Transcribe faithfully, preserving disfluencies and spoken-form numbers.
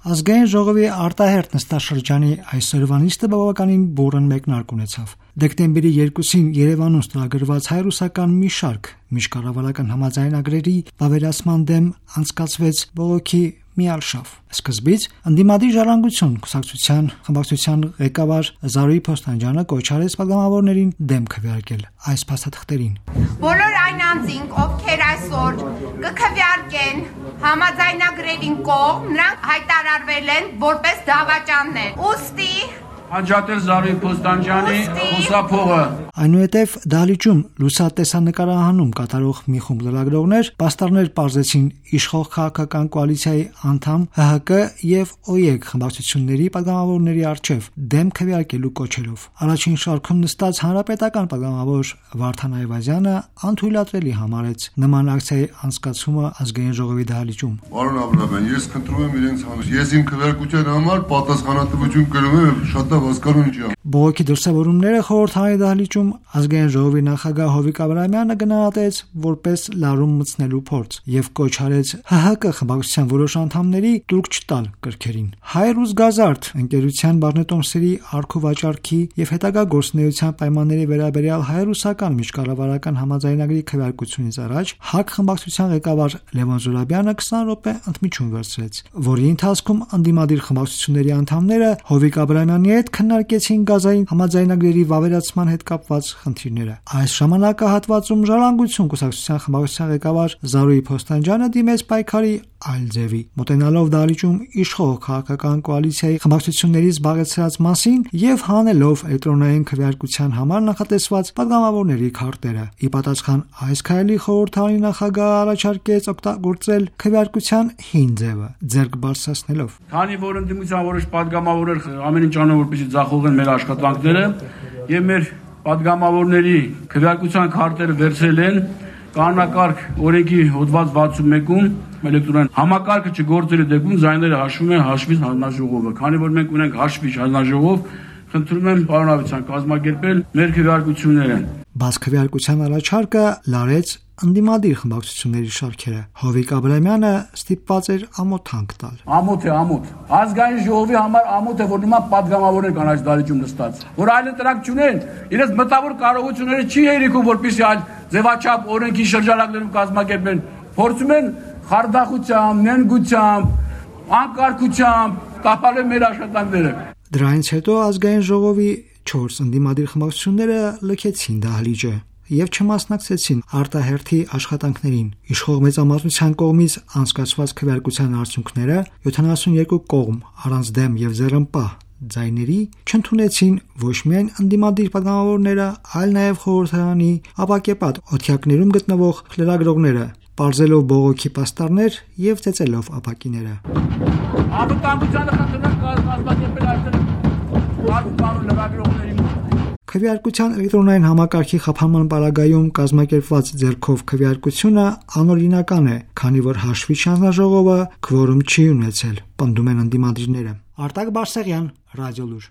Ազգային ժողովի արտահերթ նստաշրջանի այսօրվա նիստը բավականին բուռն մեկնարկ ունեցավ։ Դեկտեմբերի երկուսին Երևանում ստորագրված հայ-ռուսական մի շարք միջկառավարական համաձայնագրերի վավերացման դեմ անցկացվեց բողոքի միալշավ։ Սկզբից ընդդիմադիր ժառանգություն կուսակցության խմբակցության ղեկավար Զարուհի Փոստանջյանը կոչ արեց պատգամավորներին դեմ քվեարկել այս փաստաթղթերին։ Բոլոր այն անձինք, ովքեր այսօր կքվեարկեն համաձայնագրերին կողմ, նրանք հայտարարվել են որպես դավաճաններ։ Ուստի Անջատել Զարուհի Փոստանջյանի խոսափողը։ Այնուհետև դահլիճում լուսատեսանկարահանում կատարող մի խումբ լրագրողներ պաստառներ պարզեցին իշխող քաղաքական կոալիցիայի անդամ ՀՀԿ եւ ՕԵԿ խմբակցությունների պատգամավորների առջև դեմ քվեարկելու կոչերով։ Առաջին շարքում նստած հանրապետական պատգամավոր Վարդան Այվազյանը անթույլատրելի համարեց նման ակցիայի անցկացումը ազգային ժողովի դահլիճում։ Պարոն Աբրահամյան, ես խնդրում եմ իրենց համար, ես իմ քվեարկության համար պատասխանատվություն կրում եմ, շատ հասկանում չեմ։ Բողոքի դրսևորումները խորհրդային դահլիճում ազգային ժողովի նախագահ Հովիկ Աբրահամյանը գնահատեց որպես լարում մտցնելու փորձ եւ կոչ արեց ՀՀԿ խմբակցության որոշ անդամների տուրք չտալ կրքերին։ Հայ-ռուս գազարդ ընկերության բաժնետոմսերի արքու վաճառքի եւ հետագա գործունեության պայմանների վերաբերյալ հայ-ռուսական միջկառավարական համաձայնագրի քվեարկությունից առաջ ՀԱԿ խմբակցության ղեկավար Լևոն Զուրաբյանը քսան րոպե ընդմիջում վերցրեց, որի ընթացքում ընդդիմադիր խմբակցությունների անդամները Հովիկ Աբրահամյանի հետ քննարկեցին գազային համաձայնագրերի վավերացման հետ կապված խնդիրները։ Այս ժամանակահատվածում ժառանգություն կուսակցության խմբակցության ղեկավար Զարուհի Փոստանջյանը դիմեց պայքարի այլ ձևի, մոտենալով դահլիճում իշխող քաղաքական կոալիցիայի խմբակցություններից զբաղեցրած մասին եւ հանելով էլեկտրոնային քվեարկության համար նախատեսված պատգամավորների քարտերը։ Ի պատասխան այս քայլի խորհրդարանի նախագահը առաջարկեց օգտագործել քվեարկության հին ձևը, ձեռք բարձրացնելով։ Քանի որ ընդդիմության որոշ պատգամավորներ ամեն ինչ անում որպեսզի ձախողեն մեր աշխատանքները եւ մեր պատգամավորների քվեարկության քարտերը վերցրել են կանոնակարգ օրենքի հոդված վաթսուն մեկում էլեկտրոնային համակարգը չգործելու դեպքում զայները հաշվում են հաշվից հանձնաժողովը։ Քանի որ մենք ունենք հաշվիչ հանձնաժողով, խնդրում եմ պարոն Ավետիսյան կազմակերպել մեր քվեարկությունները։ Բաց քվեարկության առաջարկը լարեց ընդդիմադիր խմբակցությունների շարքերը։ Հովիկ Աբրահամյանը ստիպված էր ամոթ հանք տալ։ Ամոթ է, ամոթ։ Ազգային ժողովի համար ամոթ է, որ նման պատգամավորներ կան այս դահլիճում նստած, որ այլ ընտրակ չունեն, իրենց մտավոր կարողությունները չի հերիքում, որպեսզի այլ ձևաչափ օրենքի շրջանակներում կազմակերպեն, փորձում են խարդախությամբ, նենգությամբ, անկարգությամբ տապալել մեր աշխատանքները։ Դրանից հետո ազգային ժողովի չորս ընդդիմադիր խմբակցությունները լքեցին դահլիճը եւ չմասնակցեցին արտահերթի աշխատանքներին։ Իշխող մեծամասնության կողմից անցկացված քվեարկության արդյունքները յոթանասունյոթ կողմ առանց դեմ եւ ձեռնպահ ձայների չընդունեցին ոչ միայն ընդդիմադիր պատգամավորները, այլ նաեւ խորհրդարանի ապակեպատ օթյակներում գտնվող լրագրողները, պարզելով բողոքի պաստառներ եւ ծեծելով ապակիները։ Անվտանգությանը խնդրում կազմակերպել այստեղ բարձր լրագրողների Քվեարկության էլեկտրոնային համակարգի խափանման պարագայում կազմակերպված ձեռքով քվեարկությունը անօրինական է, քանի որ հաշվիչ հանձնաժողովը քվորում չի ունեցել, պնդում են ընդդիմադիրները։ Արտակ Բարսեղյան, Ռադիոլուր։